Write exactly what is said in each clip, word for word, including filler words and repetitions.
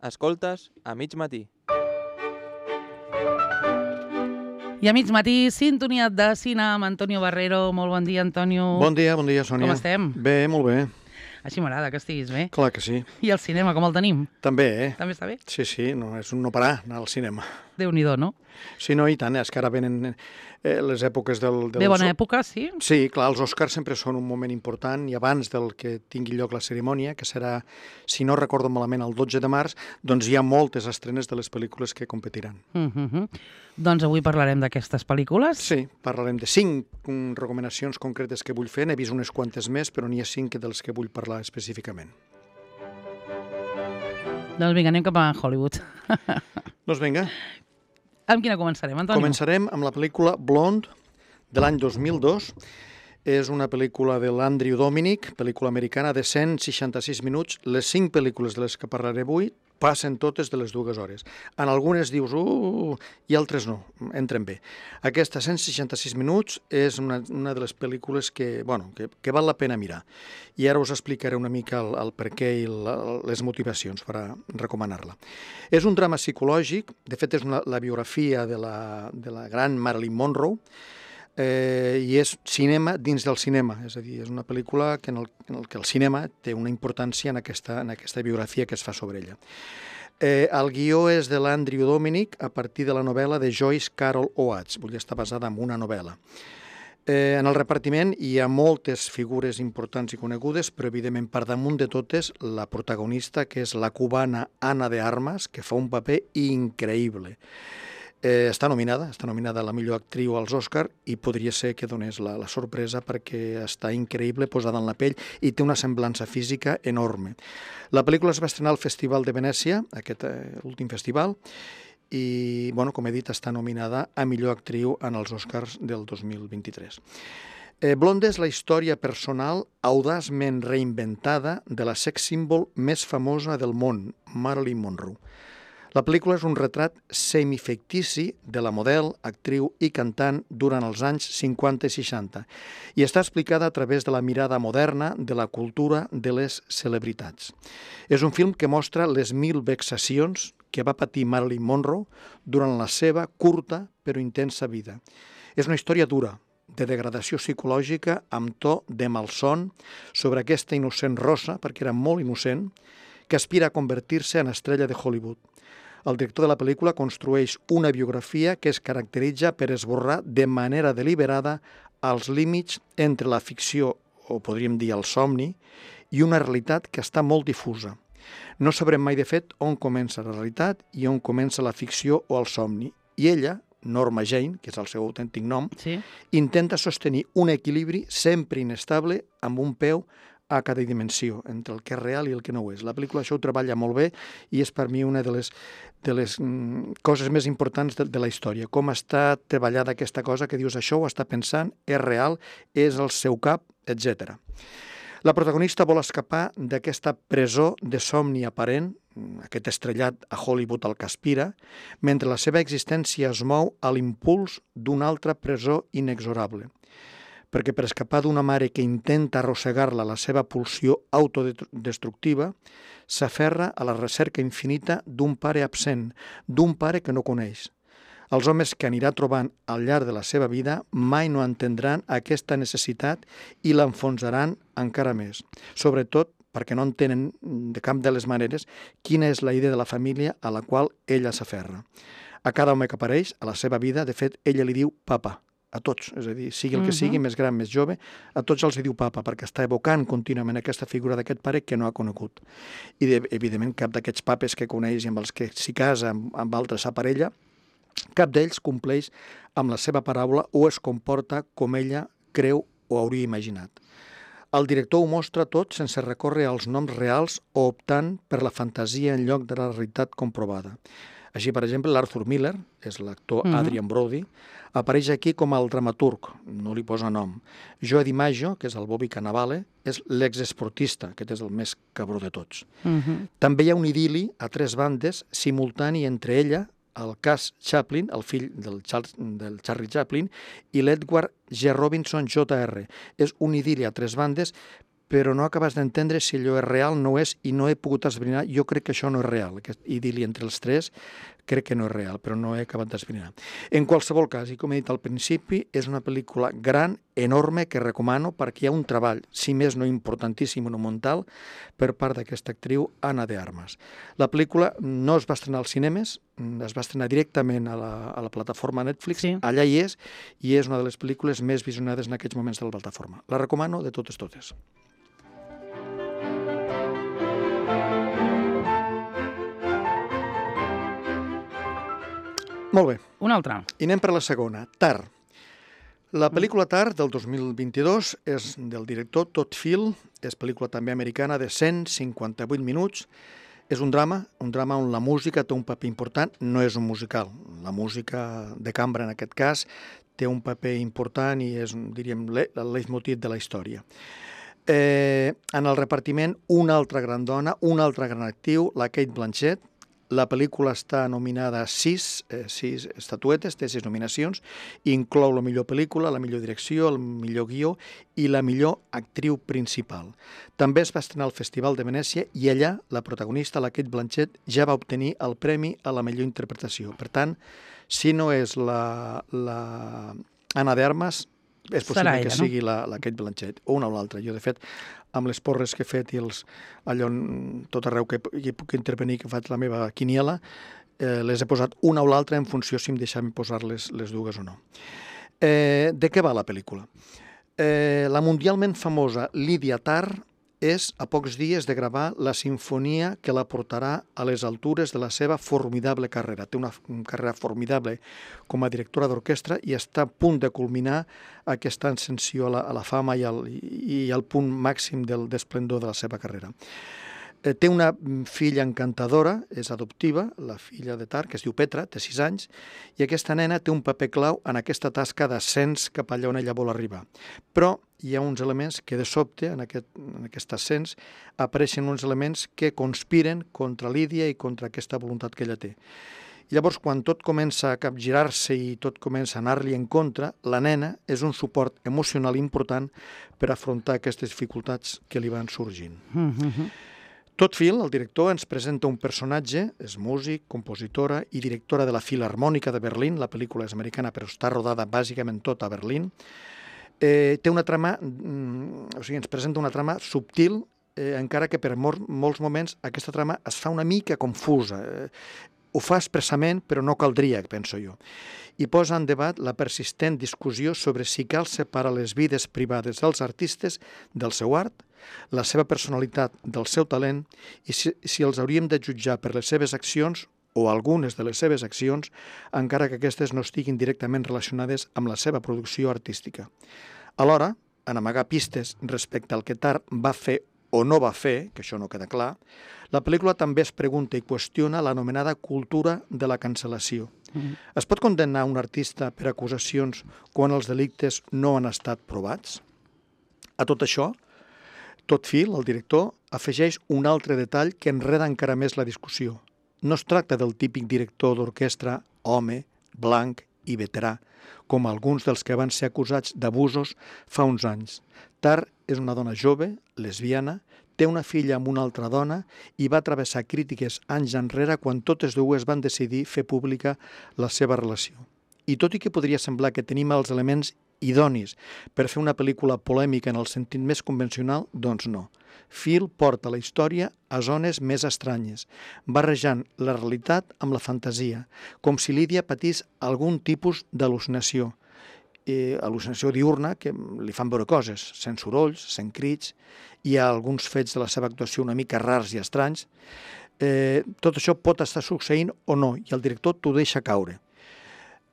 Escoltes a mig matí. I a mig matí, sintonia de cine amb Antonio Barrero. Molt bon dia, Antonio. Bon dia, bon dia, Sònia. Com estem? Bé, molt bé. Així m'agrada que estiguis bé. Clar que sí. I el cinema, com el tenim? També, eh? També està bé? Sí, sí, no, és un no parar anar al cinema. Déu-n'hi-do, no? Sí, no, i tant, és que ara venen eh, les èpoques del... del Bé, bona època, sí? Sí, clar, els Oscars sempre són un moment important i abans del que tingui lloc la cerimònia, que serà, si no recordo malament, el dotze de març, doncs hi ha moltes estrenes de les pel·lícules que competiran. Uh -huh. Doncs avui parlarem d'aquestes pel·lícules. Sí, parlarem de cinc um, recomanacions concretes que vull fer. N'he vist unes quantes més, però n'hi ha cinc dels que vull parlar específicament. Doncs vinga, anem cap a Hollywood. Doncs vinga. Amb quina començarem, Antonio? Començarem amb la pel·lícula Blonde, de l'any dos mil dos. És una pel·lícula de l'Andrew Dominik, pel·lícula americana de cent seixanta-sis minuts. Les cinc pel·lícules de les que parlaré avui passen totes de les dues hores. En algunes dius, uh, i altres no, entren bé. Aquesta cent seixanta-sis minuts és una, una de les pel·lícules que, bueno, que, que val la pena mirar. I ara us explicaré una mica el, el per què i la, les motivacions per a recomanar-la. És un drama psicològic, de fet és una, la biografia de la, de la gran Marilyn Monroe, Eh, i és cinema dins del cinema, és a dir, és una pel·lícula que en, el, en el que el cinema té una importància en aquesta, en aquesta biografia que es fa sobre ella. Eh, el guió és de l'Andrew Dominik a partir de la novel·la de Joyce Carol Oates, vull dir, està basada en una novel·la. Eh, en el repartiment hi ha moltes figures importants i conegudes, però evidentment per damunt de totes la protagonista, que és la cubana Ana de Armas, que fa un paper increïble. Eh, està nominada, està nominada a la millor actriu als Oscar i podria ser que donés la, la sorpresa perquè està increïble, posada en la pell i té una semblança física enorme. La pel·lícula es va estrenar al Festival de Venècia, aquest eh, últim festival, i, bueno, com he dit, està nominada a millor actriu en els Oscars del dos mil vint-i-tres. Eh, Blonde és la història personal audaçment reinventada de la sex símbol més famosa del món, Marilyn Monroe. La pel·lícula és un retrat semifictici de la model, actriu i cantant durant els anys cinquanta i seixanta i està explicada a través de la mirada moderna de la cultura de les celebritats. És un film que mostra les mil vexacions que va patir Marilyn Monroe durant la seva curta però intensa vida. És una història dura, de degradació psicològica amb to de malson sobre aquesta innocent rossa, perquè era molt innocent, que aspira a convertir-se en estrella de Hollywood. El director de la pel·lícula construeix una biografia que es caracteritza per esborrar de manera deliberada els límits entre la ficció, o podríem dir el somni, i una realitat que està molt difusa. No sabrem mai de fet on comença la realitat i on comença la ficció o el somni. I ella, Norma Jane, que és el seu autèntic nom, sí, intenta sostenir un equilibri sempre inestable amb un peu a cada dimensió, entre el que és real i el que no ho és. La pel·lícula això ho treballa molt bé i és per mi una de les, de les mm, coses més importants de, de la història. Com està treballada aquesta cosa que dius això ho està pensant, és real, és el seu cap, etcètera. La protagonista vol escapar d'aquesta presó de somni aparent, aquest estrellat a Hollywood al que aspira, mentre la seva existència es mou a l'impuls d'una altra presó inexorable. Perquè per escapar d'una mare que intenta arrossegar-la a la seva pulsió autodestructiva, s'aferra a la recerca infinita d'un pare absent, d'un pare que no coneix. Els homes que anirà trobant al llarg de la seva vida mai no entendran aquesta necessitat i l'enfonsaran encara més. Sobretot perquè no entenen de cap de les maneres quina és la idea de la família a la qual ella s'aferra. A cada home que apareix a la seva vida, de fet, ella li diu papa. A tots, és a dir, sigui el que sigui, més gran, més jove, a tots els diu papa, perquè està evocant contínuament aquesta figura d'aquest pare que no ha conegut. I, de, evidentment, cap d'aquests papes que coneix i amb els que s'hi casa, amb, amb altres s'aparella, cap d'ells compleix amb la seva paraula o es comporta com ella creu o hauria imaginat. El director ho mostra tot sense recórrer als noms reals o optant per la fantasia en lloc de la realitat comprovada. Així, per exemple, l'Arthur Miller, és l'actor uh-huh. Adrian Brody, apareix aquí com el dramaturg, no li posa nom. Joe DiMaggio, que és el Bobby Cannavale, és l'exesportista, aquest és el més cabró de tots. Uh-huh. També hi ha un idili a tres bandes simultani entre ella, el Cass Chaplin, el fill del, Charles, del Charlie Chaplin, i l'Edward G. Robinson Jr. És un idili a tres bandes però no acabes d'entendre si allò és real, no és, i no he pogut esbrinar. Jo crec que això no és real. Aquest idili entre els tres crec que no és real, però no he acabat d'esbrinar. En qualsevol cas, i com he dit al principi, és una pel·lícula gran, enorme, que recomano perquè hi ha un treball, si més no importantíssim, monumental, per part d'aquesta actriu, Ana de Armas. La pel·lícula no es va estrenar als cinemes, es va estrenar directament a la, a la plataforma Netflix, Sí. allà hi és, i és una de les pel·lícules més visionades en aquests moments de la plataforma. La recomano de totes totes. Molt bé, Una altra. i anem per la segona, Tar. La pel·lícula Tar, del dos mil vint-i-dos, és del director Todd Field, és pel·lícula també americana de cent cinquanta-vuit minuts. És un drama, un drama on la música té un paper important, no és un musical. La música de cambra, en aquest cas, té un paper important i és, diríem, el leitmotiv de la història. Eh, en el repartiment, una altra gran dona, un altre gran actiu, la Cate Blanchett. La pel·lícula està nominada a sis, eh, sis estatuetes, té sis nominacions, i inclou la millor pel·lícula, la millor direcció, el millor guió i la millor actriu principal. També es va estrenar al Festival de Venècia i allà la protagonista, la Cate Blanchett, ja va obtenir el premi a la millor interpretació. Per tant, si no és la, la Ana de Armas, és possible Serà que ella, no? sigui la, la Cate Blanchett o una o l'altra. Jo, de fet, amb les porres que he fet i els, allò, tot arreu que hi puc intervenir, que faig la meva quiniela, eh, les he posat una o l'altra en funció si em deixaven posar les, les dues o no. Eh, de què va la pel·lícula? Eh, la mundialment famosa Lydia Tarr és a pocs dies de gravar la sinfonia que la portarà a les altures de la seva formidable carrera. Té una carrera formidable com a directora d'orquestra i està a punt de culminar aquesta ascensió a la, a la fama i al, i al punt màxim del esplendor de la seva carrera. Eh, té una filla encantadora, és adoptiva, la filla de Tar, que es diu Petra, té sis anys, i aquesta nena té un paper clau en aquesta tasca d'ascens cap allà on ella vol arribar. Però hi ha uns elements que de sobte, en aquest, en aquest ascens, apareixen uns elements que conspiren contra Lídia i contra aquesta voluntat que ella té. Llavors, quan tot comença a capgirar-se i tot comença a anar-li en contra, la nena és un suport emocional important per afrontar aquestes dificultats que li van sorgint. Mm-hmm. Todd Field, el director, ens presenta un personatge, és músic, compositora i directora de la Filharmònica de Berlín, la pel·lícula és americana però està rodada bàsicament tot a Berlín. Eh, té una trama, mm, o sigui, ens presenta una trama subtil, eh, encara que per mol, molts moments aquesta trama es fa una mica confusa. Eh, ho fa expressament, però no caldria, penso jo. I posa en debat la persistent discussió sobre si cal separar les vides privades dels artistes del seu art, la seva personalitat del seu talent i si, si els hauríem de jutjar per les seves accions o algunes de les seves accions, encara que aquestes no estiguin directament relacionades amb la seva producció artística. Alhora, en amagar pistes respecte al que Tar va fer o no va fer, que això no queda clar, la pel·lícula també es pregunta i qüestiona l'anomenada cultura de la cancel·lació. Mm. Es pot condemnar un artista per acusacions quan els delictes no han estat provats? A tot això, Todd Field, el director, afegeix un altre detall que enreda encara més la discussió. No es tracta del típic director d'orquestra home, blanc i veterà, com alguns dels que van ser acusats d'abusos fa uns anys. Tar és una dona jove, lesbiana, té una filla amb una altra dona i va travessar crítiques anys enrere quan totes dues van decidir fer pública la seva relació. I tot i que podria semblar que tenim els elements idonis per fer una pel·lícula polèmica en el sentit més convencional, doncs no. Field porta la història a zones més estranyes, barrejant la realitat amb la fantasia, com si Lídia patís algun tipus d'al·lucinació, eh, al·lucinació diurna que li fan veure coses, sent sorolls, sent crits, hi ha alguns fets de la seva actuació una mica rars i estranys. Eh, tot això pot estar succeint o no, i el director t'ho deixa caure.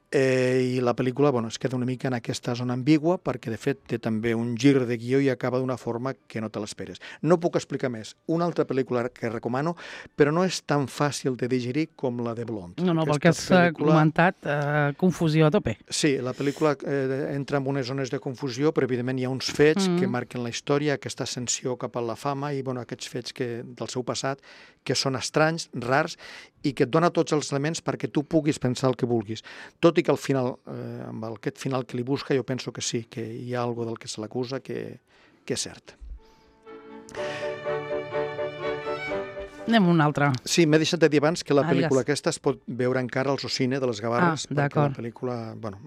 Eh, I la pel·lícula bueno, es queda una mica en aquesta zona ambigua perquè, de fet, té també un gir de guió i acaba d'una forma que no te l'esperes. No puc explicar més. Una altra pel·lícula que recomano, però no és tan fàcil de digerir com la de Blonde. No, no, pel Aquesta que has pel·lícula... comentat, eh, confusió a tope. Sí, la pel·lícula eh, entra en unes zones de confusió, però evidentment hi ha uns fets mm. que marquen la història, aquesta ascensió cap a la fama i bueno, aquests fets que, del seu passat que són estranys, rars i que et dona tots els elements perquè tu puguis pensar el que vulguis. Tot i que al final, eh, amb aquest final que li busca, jo penso que sí, que hi ha alguna del que se l'acusa que, que és cert. Anem a una altra. Sí, m'he deixat de dir abans que la Ah, pel·lícula digues. aquesta es pot veure encara als Ocine de les Gavarres, Ah, perquè la d'acord. pel·lícula, bueno,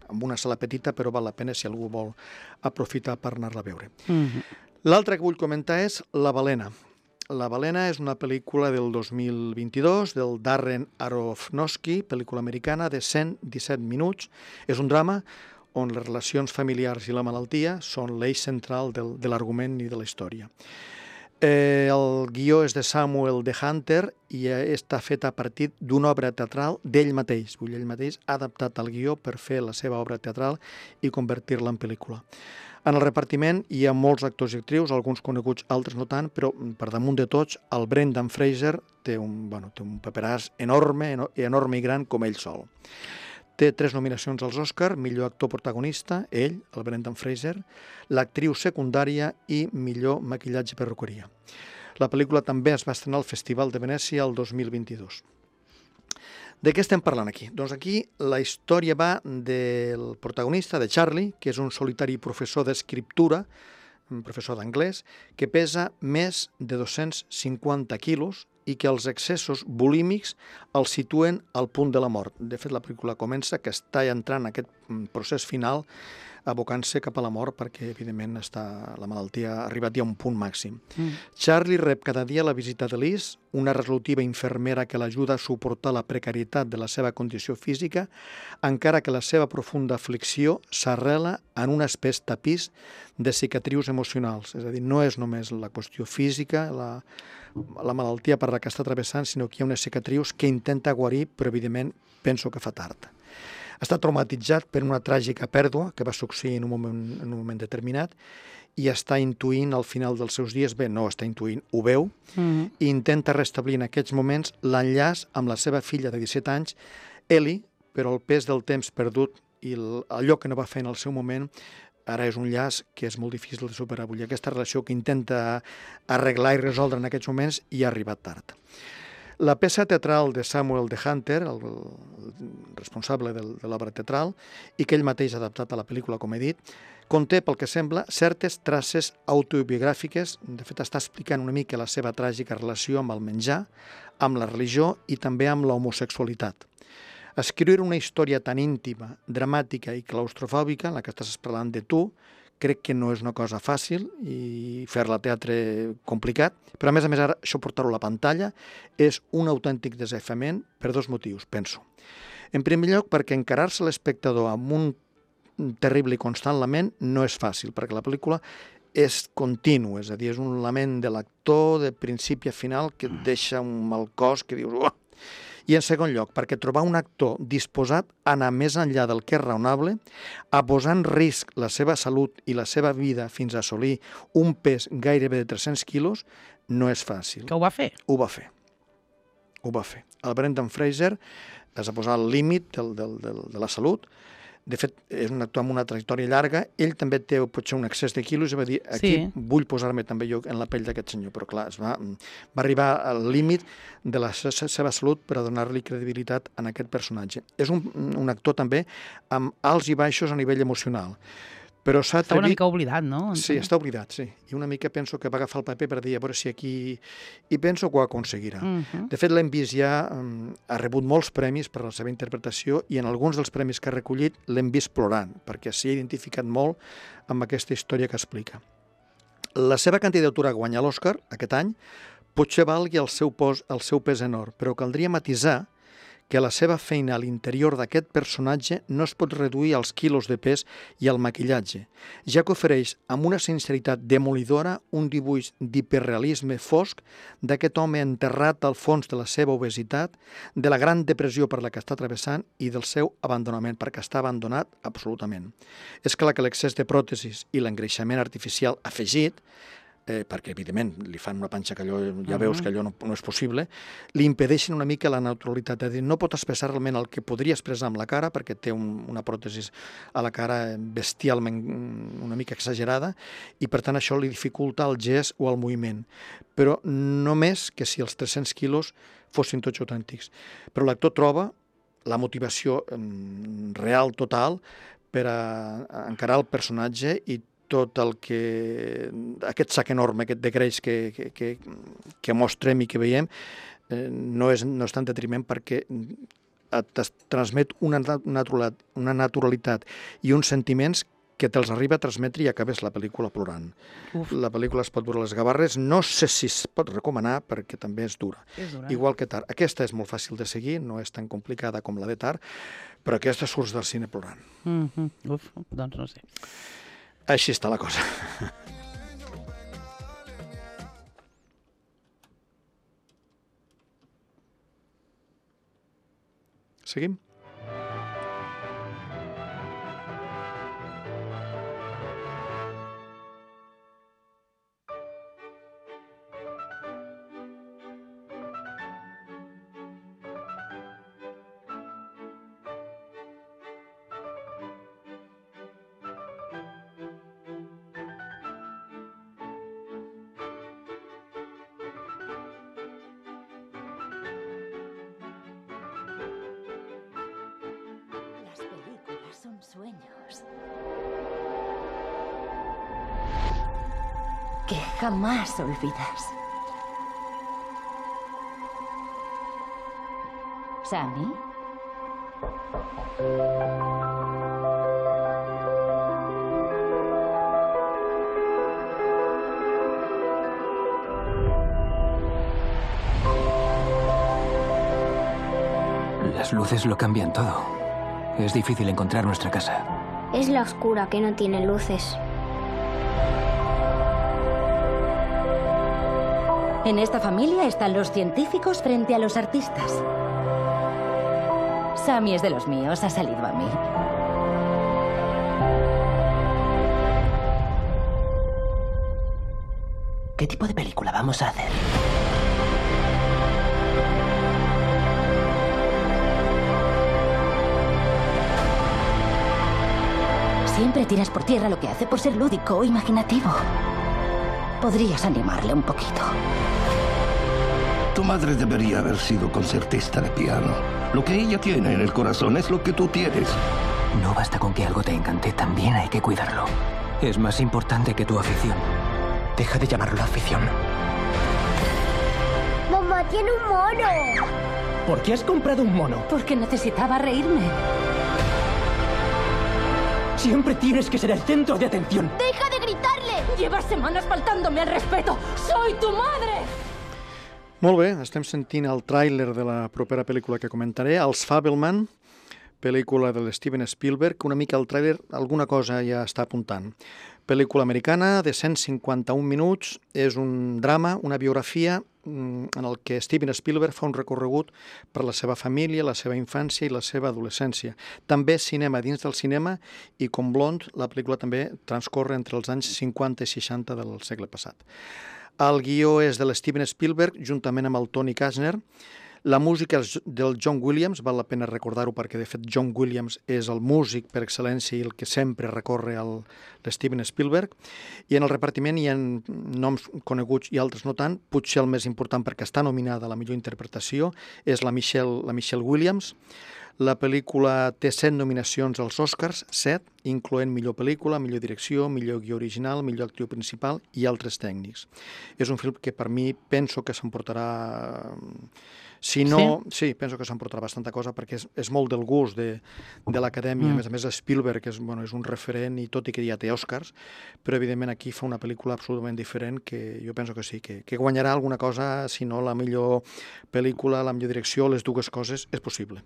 amb una sala petita, però val la pena si algú vol aprofitar per anar-la a veure. Mhm. L'altra que vull comentar és La balena. La balena és una pel·lícula del dos mil vint-i-dos del Darren Aronofsky, pel·lícula americana de cent disset minuts. És un drama on les relacions familiars i la malaltia són l'eix central del, de l'argument i de la història. Eh, el guió és de Samuel de Hunter i eh, està fet a partir d'una obra teatral d'ell mateix. Vull dir, ell mateix ha adaptat el guió per fer la seva obra teatral i convertir-la en pel·lícula. En el repartiment hi ha molts actors i actrius, alguns coneguts, altres no tant, però per damunt de tots, el Brendan Fraser té un, bueno, té un paperàs enorme, enorme i gran com ell sol. Té tres nominacions als Oscar, millor actor protagonista, ell, el Brendan Fraser, l'actriu secundària i millor maquillatge i perruqueria. La pel·lícula també es va estrenar al Festival de Venècia el dos mil vint-i-dos. De què estem parlant aquí? Doncs aquí la història va del protagonista, de Charlie, que és un solitari professor d'escriptura, un professor d'anglès, que pesa més de dos-cents cinquanta quilos i que els excessos bulímics el situen al punt de la mort. De fet, la pel·lícula comença que està entrant en aquest procés final abocant-se cap a la mort perquè, evidentment, està, la malaltia ha arribat ja a un punt màxim. Mm. Charlie rep cada dia la visita de Liz, una resolutiva infermera que l'ajuda a suportar la precarietat de la seva condició física, encara que la seva profunda aflicció s'arrela en un espès tapís de cicatrius emocionals. És a dir, no és només la qüestió física, la, la malaltia per la que està travessant, sinó que hi ha unes cicatrius que intenta guarir, però, evidentment, penso que fa tard. Està traumatitzat per una tràgica pèrdua que va succeir en un moment, en un moment determinat i està intuint al final dels seus dies, bé, no està intuint, ho veu, mm-hmm. i intenta restablir en aquests moments l'enllaç amb la seva filla de disset anys, Ellie, però el pes del temps perdut i allò que no va fer en el seu moment ara és un llaç que és molt difícil de superar. Vull dir, aquesta relació que intenta arreglar i resoldre en aquests moments i ha arribat tard. La peça teatral de Samuel de Hunter, el, el responsable de, de l'obra teatral, i que ell mateix ha adaptat a la pel·lícula, com he dit, conté, pel que sembla, certes traces autobiogràfiques. De fet, està explicant una mica la seva tràgica relació amb el menjar, amb la religió i també amb l'homosexualitat. Escriure una història tan íntima, dramàtica i claustrofòbica, en la que estàs parlant de tu, crec que no és una cosa fàcil i fer-la a teatre complicat, però a més a més ara això portar-ho a la pantalla és un autèntic desafiament per dos motius, penso. En primer lloc, perquè encarar-se l'espectador amb un terrible i constant lament no és fàcil, perquè la pel·lícula és continu, és a dir, és un lament de l'actor de principi a final que et deixa un mal cos que dius... Oh! I en segon lloc, perquè trobar un actor disposat a anar més enllà del que és raonable, a posar en risc la seva salut i la seva vida fins a assolir un pes gairebé de tres-cents quilos, no és fàcil. Que ho va fer? Ho va fer. Ho va fer. El Brendan Fraser es va posar al límit del, del, del, de la salut. De fet, és un actor amb una trajectòria llarga. Ell també té potser un excés de quilos i va dir, aquí sí. Vull posar-me també jo en la pell d'aquest senyor. Però clar, es va, va arribar al límit de la seva salut per a donar-li credibilitat en aquest personatge. És un, un actor també amb alts i baixos a nivell emocional. Però s'ha està una mica oblidat, no? Sí, està oblidat, sí. I una mica penso que va agafar el paper per dir, a veure si aquí... I penso que ho aconseguirà. Uh-huh. De fet, l'hem vist ja, um, ha rebut molts premis per la seva interpretació i en alguns dels premis que ha recollit l'hem vist plorant, perquè s'hi ha identificat molt amb aquesta història que explica. La seva candidatura a guanyar l'Oscar aquest any potser valgui el seu, pos, el seu pes enorme, però caldria matisar que la seva feina a l'interior d'aquest personatge no es pot reduir als quilos de pes i al maquillatge, ja que ofereix amb una sinceritat demolidora un dibuix d'hiperrealisme fosc d'aquest home enterrat al fons de la seva obesitat, de la gran depressió per la que està travessant i del seu abandonament, perquè està abandonat absolutament. És clar que l'excés de pròtesis i l'engreixament artificial afegit, Eh, perquè, evidentment, li fan una panxa que allò, ja veus que allò no, no és possible, li impedeixen una mica la naturalitat. És a dir, no pot expressar realment el que podria expressar amb la cara, perquè té un, una pròtesi a la cara bestialment una mica exagerada, i per tant això li dificulta el gest o el moviment. Però només que si els tres-cents quilos fossin tots autèntics. Però l'actor troba la motivació real, total, per a encarar el personatge i tot el que... aquest sac enorme, aquest de greix que, que, que, que mostrem i que veiem, eh, no, és, no és tan detriment perquè et transmet una, naturalitat, una naturalitat i uns sentiments que te'ls arriba a transmetre i acabes la pel·lícula plorant. Uf. La pel·lícula es pot veure a les gavarres, no sé si es pot recomanar perquè també és dura. És dura. Igual que Tar. Aquesta és molt fàcil de seguir, no és tan complicada com la de Tar, però aquesta surts del cine plorant. Mm-hmm. Uf, doncs no sé. Així està la cosa. Seguim? Son sueños que jamás olvidas. ¿Sammy? Las luces lo cambian todo. Es difícil encontrar nuestra casa. Es la oscura que no tiene luces. En esta familia están los científicos frente a los artistas. Sammy es de los míos, ha salido a mí. ¿Qué tipo de película vamos a hacer? Siempre tiras por tierra lo que hace por ser lúdico o imaginativo. Podrías animarle un poquito. Tu madre debería haber sido concertista de piano. Lo que ella tiene en el corazón es lo que tú tienes. No basta con que algo te encante, también hay que cuidarlo. Es más importante que tu afición. Deja de llamarlo afición. ¡Mamá tiene un mono! ¿Por qué has comprado un mono? Porque necesitaba reírme. Siempre tienes que ser el centro de atención. ¡Deja de gritarle! Llevas semanas faltándome al respeto. ¡Soy tu madre! Molt bé, estem sentint el tràiler de la propera pel·lícula que comentaré, Els Fabelman, pel·lícula de l'Steven Spielberg. Una mica el tràiler, alguna cosa ja està apuntant. Pel·lícula americana de cent cinquanta-un minuts, és un drama, una biografia en el que Steven Spielberg fa un recorregut per la seva família, la seva infància i la seva adolescència. També cinema dins del cinema i com Blonde, la pel·lícula també transcorre entre els anys cinquanta i seixanta del segle passat. El guió és de l'Steven Spielberg, juntament amb el Tony Kushner. La música és del John Williams, val la pena recordar-ho perquè, de fet, John Williams és el músic per excel·lència i el que sempre recorre al Steven Spielberg. I en el repartiment hi ha noms coneguts i altres no tant. Potser el més important perquè està nominada a la millor interpretació és la Michelle, la Michelle Williams. La pel·lícula té set nominacions als Oscars, set, incloent millor pel·lícula, millor direcció, millor guió original, millor actriu principal i altres tècnics. És un film que per mi penso que s'emportarà... Si no, sí, sí penso que s'emportarà bastanta cosa perquè és, és molt del gust de, de l'acadèmia. Mm. A més a més, Spielberg és, bueno, és un referent i tot i que ja té Oscars, però evidentment aquí fa una pel·lícula absolutament diferent que jo penso que sí, que, que guanyarà alguna cosa, si no la millor pel·lícula, la millor direcció, les dues coses, és possible.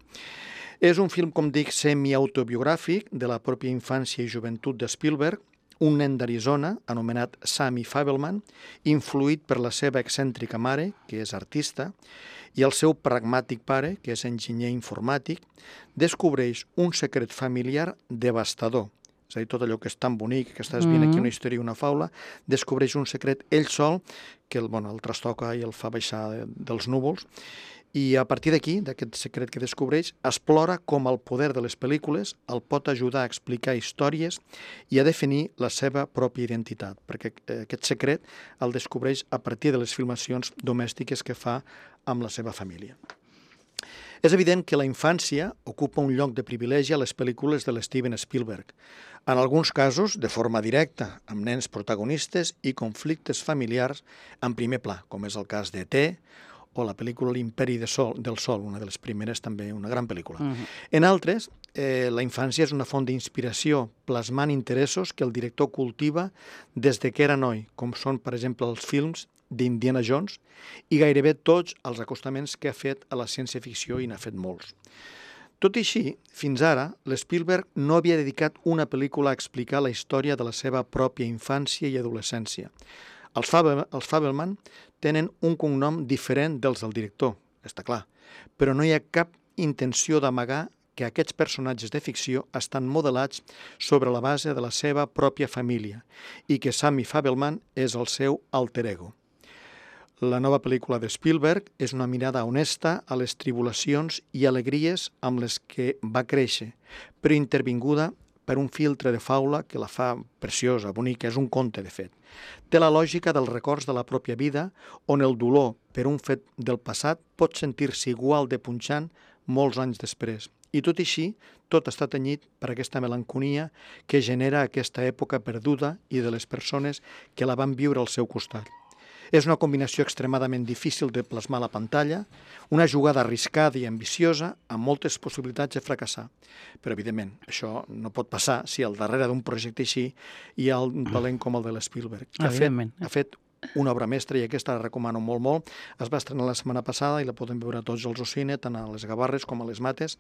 És un film, com dic, semi-autobiogràfic de la pròpia infància i joventut de Spielberg, un nen d'Arizona, anomenat Sammy Fabelman, influït per la seva excèntrica mare, que és artista, i el seu pragmàtic pare, que és enginyer informàtic, descobreix un secret familiar devastador. És a dir, tot allò que és tan bonic, que estàs veient aquí una història i una faula, descobreix un secret ell sol, que el, bueno, el trastoca i el fa baixar de, dels núvols, i a partir d'aquí, d'aquest secret que descobreix, explora com el poder de les pel·lícules el pot ajudar a explicar històries i a definir la seva pròpia identitat, perquè aquest secret el descobreix a partir de les filmacions domèstiques que fa amb la seva família. És evident que la infància ocupa un lloc de privilegi a les pel·lícules de l'Steven Spielberg. En alguns casos, de forma directa, amb nens protagonistes i conflictes familiars en primer pla, com és el cas d'E T o la pel·lícula L'Imperi de Sol, del Sol, una de les primeres, també una gran pel·lícula. Uh -huh. En altres, eh, la infància és una font d'inspiració, plasmant interessos que el director cultiva des de que era noi, com són, per exemple, els films d'Indiana Jones i gairebé tots els acostaments que ha fet a la ciència-ficció, i n'ha fet molts. Tot i així, fins ara, l'Spielberg no havia dedicat una pel·lícula a explicar la història de la seva pròpia infància i adolescència. Els, Fabel, els Fabelman tenen un cognom diferent dels del director, està clar, però no hi ha cap intenció d'amagar que aquests personatges de ficció estan modelats sobre la base de la seva pròpia família i que Sammy Fabelman és el seu alter ego. La nova pel·lícula de Spielberg és una mirada honesta a les tribulacions i alegries amb les que va créixer, però intervinguda per un filtre de faula que la fa preciosa, bonica, és un conte, de fet. Té la lògica dels records de la pròpia vida, on el dolor per un fet del passat pot sentir-se igual de punxant molts anys després. I tot i així, tot està tenyit per aquesta melanconia que genera aquesta època perduda i de les persones que la van viure al seu costat. És una combinació extremadament difícil de plasmar a la pantalla, una jugada arriscada i ambiciosa amb moltes possibilitats de fracassar. Però, evidentment, això no pot passar si al darrere d'un projecte així hi ha un talent com el de l'Spielberg, que ha fet, ha fet una obra mestra, i aquesta la recomano molt, molt. Es va estrenar la setmana passada i la podem veure tots els al cine, tant a les Gavarres com a les Mates,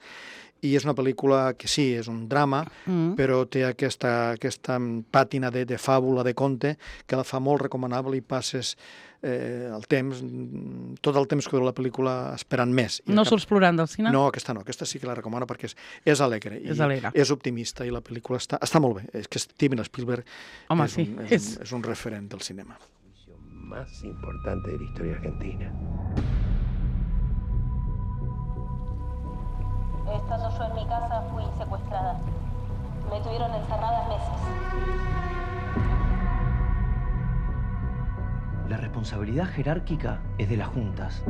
i és una pel·lícula que sí, és un drama, mm. però té aquesta, aquesta pàtina de, de fàbula, de conte, que la fa molt recomanable i passes eh, el temps, tot el temps que dura la pel·lícula esperant més. I no cap... surts plorant del cine? No, aquesta no, aquesta sí que la recomano perquè és, és alegre, i és alegre, és optimista, i la pel·lícula està, està molt bé. És que Steven Spielberg Home, és, sí, un, és, és... Un, és un referent del cinema. Más importante de la historia argentina. Estando yo en mi casa, fui secuestrada. Me tuvieron encerrada meses. La responsabilidad jerárquica es de las juntas.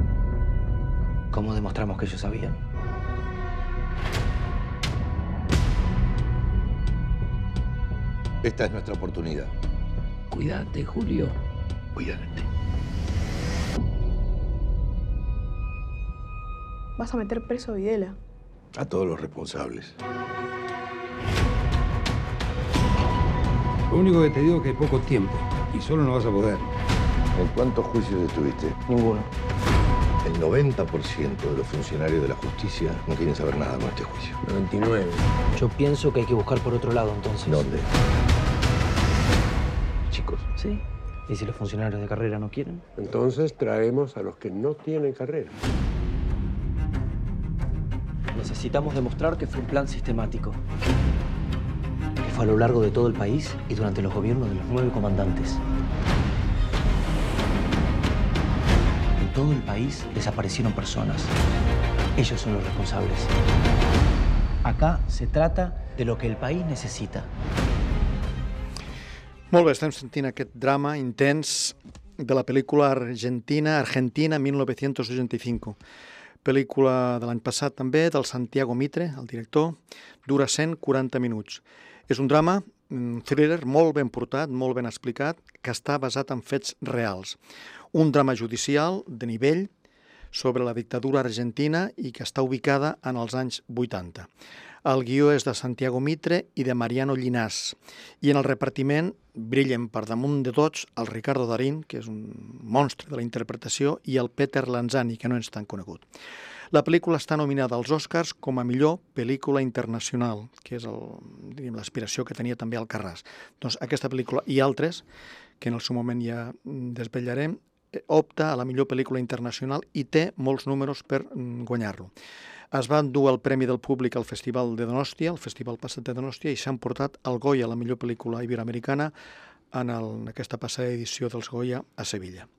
¿Cómo demostramos que ellos sabían? Esta es nuestra oportunidad. Cuídate, Julio. Cuídate. Vas a meter preso a Videla. A todos los responsables. Lo único que te digo es que hay poco tiempo y solo no vas a poder. ¿En cuántos juicios estuviste? Ninguno. El noventa por ciento de los funcionarios de la justicia no quieren saber nada con este juicio. noventa y nueve. Yo pienso que hay que buscar por otro lado, entonces. ¿Dónde? Chicos. Sí. ¿Y si los funcionarios de carrera no quieren? Entonces traemos a los que no tienen carrera. Necesitamos demostrar que fue un plan sistemático. Que fue a lo largo de todo el país y durante los gobiernos de los nueve comandantes. En todo el país desaparecieron personas. Ellos son los responsables. Acá se trata de lo que el país necesita. Molt bé, estem sentint aquest drama intens de la pel·lícula argentina, Argentina mil novecientos ochenta y cinco. Pel·lícula de l'any passat també, del Santiago Mitre, el director, dura cent quaranta minuts. És un drama, un thriller molt ben portat, molt ben explicat, que està basat en fets reals. Un drama judicial de nivell sobre la dictadura argentina i que està ubicada en els anys vuitanta. El guió és de Santiago Mitre i de Mariano Llinàs. I en el repartiment brillen per damunt de tots el Ricardo Darín, que és un monstre de la interpretació, i el Peter Lanzani, que no és tan conegut. La pel·lícula està nominada als Oscars com a millor pel·lícula internacional, que és l'aspiració que tenia també Alcarràs. Doncs aquesta pel·lícula i altres, que en el seu moment ja desvetllarem, opta a la millor pel·lícula internacional i té molts números per guanyar-lo. Es va endur el Premi del Públic al Festival de Donòstia, el Festival passat de Donòstia, i s'han portat el Goya, la millor pel·lícula iberoamericana, en, el, en aquesta passada edició dels Goya a Sevilla.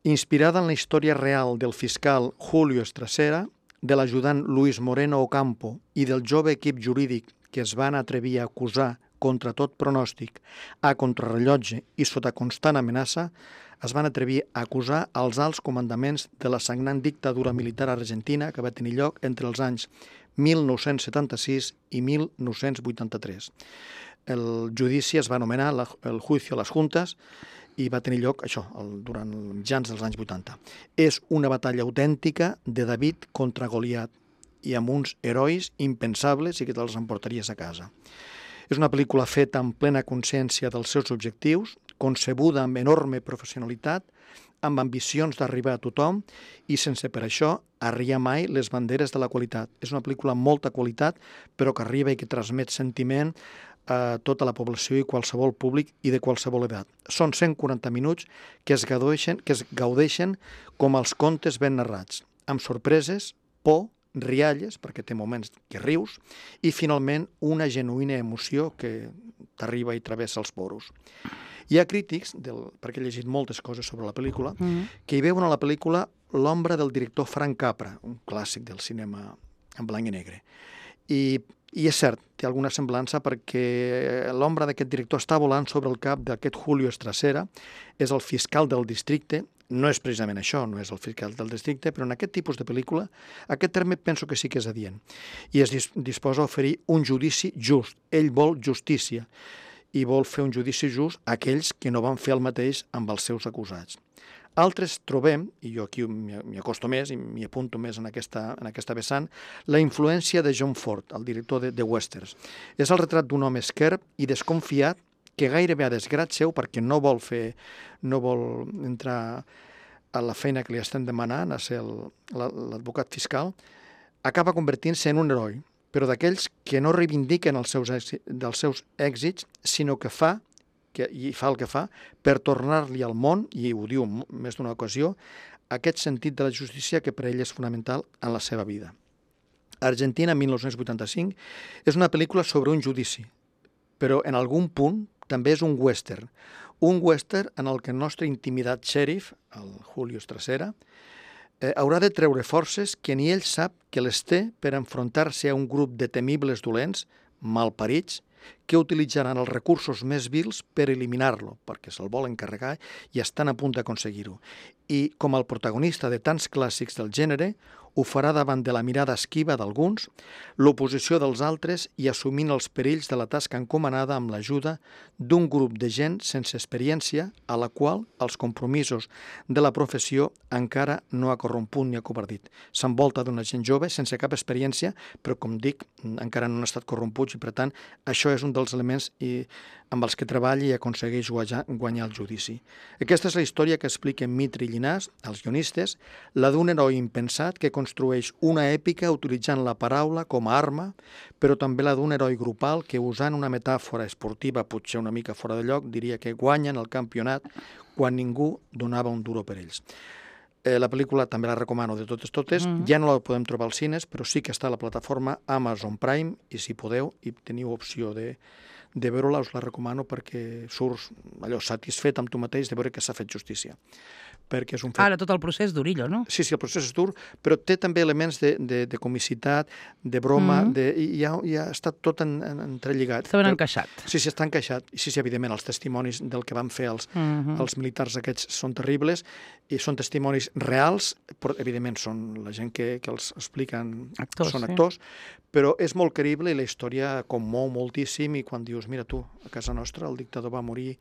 Inspirada en la història real del fiscal Julio Estracera, de l'ajudant Luis Moreno Ocampo i del jove equip jurídic que es van atrevir a acusar contra tot pronòstic, a contrarrellotge i sota constant amenaça, es van atrevir a acusar els alts comandaments de la sagnant dictadura militar argentina que va tenir lloc entre els anys mil nou-cents setanta-sis i mil nou-cents vuitanta-tres. El judici es va anomenar el Juicio a las Juntas i va tenir lloc, això, durant els mitjans dels anys vuitanta. És una batalla autèntica de David contra Goliat i amb uns herois impensables i que te'ls emportaries a casa. És una pel·lícula feta amb plena consciència dels seus objectius, concebuda amb enorme professionalitat, amb ambicions d'arribar a tothom i sense per això arriar mai les banderes de la qualitat. És una pel·lícula amb molta qualitat, però que arriba i que transmet sentiment a tota la població i qualsevol públic i de qualsevol edat. Són cent quaranta minuts que es gaudeixen, que es gaudeixen com els contes ben narrats, amb sorpreses, por, rialles, perquè té moments que rius, i finalment una genuïna emoció que t'arriba i travessa els poros. Hi ha crítics, del, perquè he llegit moltes coses sobre la pel·lícula, mm. que hi veuen a la pel·lícula l'ombra del director Frank Capra, un clàssic del cinema en blanc i negre. I, i és cert, té alguna semblança perquè l'ombra d'aquest director està volant sobre el cap d'aquest Julio Estrasera, és el fiscal del districte. No és precisament això, no és el fiscal del districte, però en aquest tipus de pel·lícula, aquest terme penso que sí que és adient. I es disposa a oferir un judici just. Ell vol justícia i vol fer un judici just a aquells que no van fer el mateix amb els seus acusats. Altres trobem, i jo aquí m'hi acosto més i m'hi apunto més en aquesta, en aquesta vessant, la influència de John Ford, el director de, de westerns. És el retrat d'un home esquerp i desconfiat que gairebé a desgrat seu, perquè no vol fer, no vol entrar a la feina que li estem demanant, a ser l'advocat fiscal, acaba convertint-se en un heroi, però d'aquells que no reivindiquen els seus èxits, dels seus èxits, sinó que fa, que, i fa el que fa, per tornar-li al món, i ho diu més d'una ocasió, aquest sentit de la justícia que per ell és fonamental en la seva vida. Argentina, mil nou-cents vuitanta-cinc, és una pel·lícula sobre un judici, però en algun punt també és un western. Un western en el que el nostre intimidat xèrif, el Julio Estrasera, eh, haurà de treure forces que ni ell sap que les té per enfrontar-se a un grup de temibles dolents, malparits, que utilitzaran els recursos més vils per eliminar-lo, perquè se'l volen carregar i estan a punt d'aconseguir-ho. I, com el protagonista de tants clàssics del gènere, ho farà davant de la mirada esquiva d'alguns, l'oposició dels altres i assumint els perills de la tasca encomanada amb l'ajuda d'un grup de gent sense experiència a la qual els compromisos de la professió encara no ha corromput ni ha covardit. S'envolta d'una gent jove sense cap experiència, però, com dic, encara no han estat corromputs i, per tant, això és un dels elements i, amb els que treballa i aconsegueix guanyar, guanyar el judici. Aquesta és la història que expliquen Mitre i Llinàs, els guionistes, la d'un heroi impensat que construeix una èpica utilitzant la paraula com a arma, però també la d'un heroi grupal que, usant una metàfora esportiva potser una mica fora de lloc, diria que guanyen el campionat quan ningú donava un duro per ells. Eh, la pel·lícula també la recomano de totes totes, mm-hmm. ja no la podem trobar als cines, però sí que està a la plataforma Amazon Prime i si podeu i teniu opció de, de veure-la, us la recomano perquè surts allò satisfet amb tu mateix de veure que s'ha fet justícia. Perquè és un fet... Ara tot el procés d'Urillo, no? Sí, sí, el procés és dur, però té també elements de, de, de comicitat, de broma, mm-hmm. de, i ja, ja està tot en, en, entrelligat. Està ben encaixat. Sí, sí, està encaixat. I sí, sí, evidentment, els testimonis del que van fer els, mm-hmm. els militars aquests són terribles, i són testimonis reals, però evidentment són la gent que, que els expliquen, actors, són sí. actors, però és molt creïble i la història commou moltíssim i quan dius, mira tu, a casa nostra el dictador va morir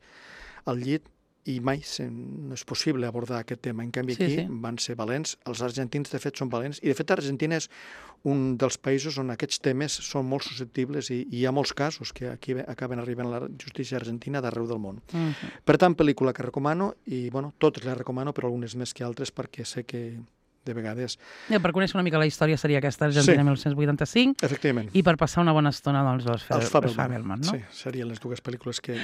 al llit i mai no és possible abordar aquest tema. En canvi, aquí sí, sí. van ser valents. Els argentins, de fet, són valents. I, de fet, Argentina és un dels països on aquests temes són molt susceptibles i, i hi ha molts casos que aquí acaben arribant a la justícia argentina d'arreu del món. Uh-huh. Per tant, pel·lícula que recomano i, bueno, totes les recomano, però algunes més que altres perquè sé que de vegades... Ja, per conèixer una mica la història seria aquesta Argentina sí. mil nou-cents vuitanta-cinc. Efectivament. I per passar una bona estona, doncs, els, Fe- els Fabelman, els Fabelman, no? Sí, serien les dues pel·lícules que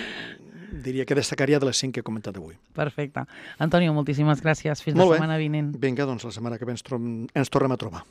diria que destacaria de les cinc que he comentat avui. Perfecte. Antonio, moltíssimes gràcies. Fins Molt la setmana bé. vinent. Vinga, doncs la setmana que ve ens, trom- ens tornem a trobar.